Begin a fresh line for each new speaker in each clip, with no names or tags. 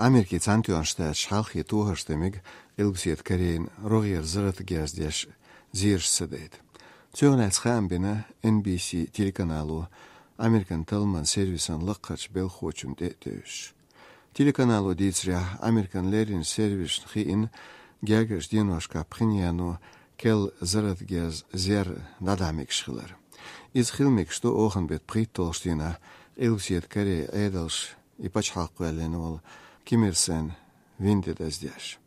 Ameriki Cantion Staat Schalchi Tuharstemig Ilbsiet Karein Rogier Zrat Gazdesh Zirsch Sedet. Zögnels Khambina NBC телеканалу Amerikan Talman Servisan Laqach Belkhochum Deteus. Телеканалу Ditsria Amerikan Lerin Service Khiin Gagers Dinoshka Prinjano Kel Zrat Gaz Zer Nadamik Schiller. Is Khilmik sto ogen bet Pritolstina Ilbsiet Kare Edels Ipachhalqwelenol Kimersen Vindet Azdesh.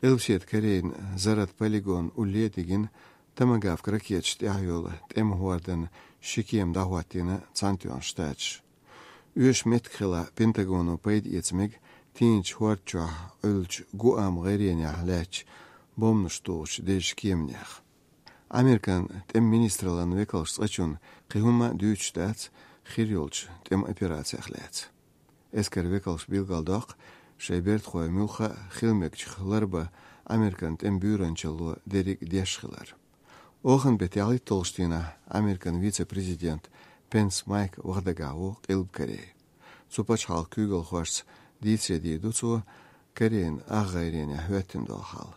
Ilbsiet Karein Zarat Polygon Uletigin Tamagav Kraketsch Ayol Temhuarden Shikiem Dahuatina Cantion Stats. Ush Metkhila Pentagonu paid Itzmig Tinch Huarcha Ulch Guam Gerienia Lech Bomnustoch Desh Kiemniach. Amerikan Tem Ministralan Wekels Rachun Kihuma Deutsch Stats Khirjolch Tem Operatiach Lets. Esker Wekels Bilgaldach Sheibert Khoy Mulcha Khilmekch Larba Amerikan Tem Buranchalo Derek Deschiller. Ogen betali Tolstina, Amerikan vice-president Pence Mike Wardagao Ilbkare. Supachal Kugel Horst Dietze die Dutsu Karein Aghairenia Höttendalhal.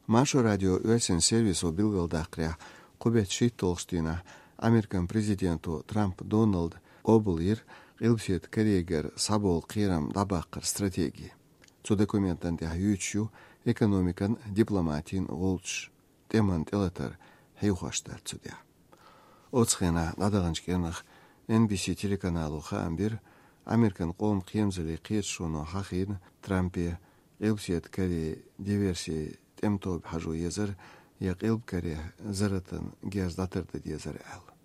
Masho Radio Ösen Service o Bilgaldakria Kubet Shit Tolstina, Amerikan presidentu Trump Donald Obelir Ilbsiet Kareger Sabol Kiram Dabakar стратегии. Zu Dokumenten der Hütschu, Ekonomikan, Diplomatin, Wolch, Demand Elater, Heuchastar zu der. Otschena Nadaganschkenach NBC телеканалу Хамбир Amerikan Qom Qiyamzali Qiyetshuno Haqin Trumpi Ilbsiet Kare Diversi Temtob Haju Yezer Yaq Ilb Kare Zaratan Gazdatar da Yezer Al.